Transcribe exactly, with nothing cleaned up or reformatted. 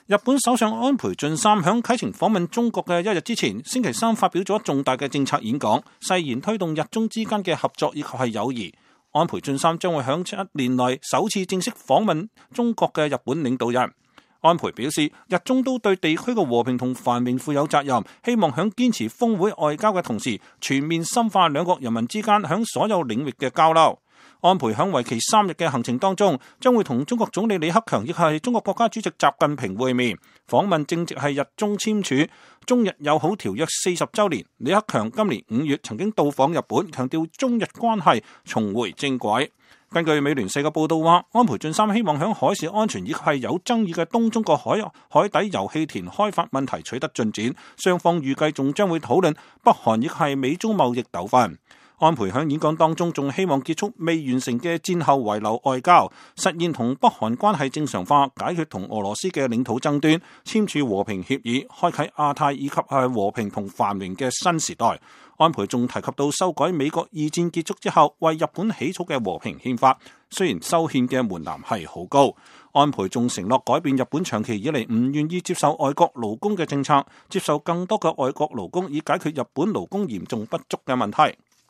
日本首相安倍晉三響啟程訪問中國嘅一日之前，星期三發表咗重大嘅政策演講，誓言推動日中之間嘅合作以及係友誼。安倍晉三將會響七年內首次正式訪問中國嘅日本領導人。安倍表示，日中都對地區嘅和平同繁榮負有責任，希望響堅持峰會外交嘅同時，全面深化兩國人民之間響所有領域嘅交流。安倍響為期三日嘅行程當中，將會同中國總理李克強亦係中國國家主席習近平會面。訪問正值係日中簽署中日友好條約四十週年。李克強今年五月曾經到訪日本，強調中日關係重回正軌。根據美聯社嘅報道話，安倍晉三希望響海事安全以及係有爭議嘅東中國海海底油氣田開發問題取得進展，雙方預計仲將會討論北韓亦係美中貿易糾紛。安倍響演講當中仲希望結束未完成嘅戰後遺留外交，實現同北韓關係正常化，解決同俄羅斯嘅領土爭端，簽署和平協議，開啟亞太以及係和平同繁榮嘅新時代。安倍仲提及到修改美國二戰結束之後為日本起草嘅和平憲法，雖然修憲嘅門檻係好高，安倍仲承諾改變日本長期以嚟唔願意接受外國勞工嘅政策，接受更多嘅外國勞工以解決日本勞工嚴重不足嘅問題。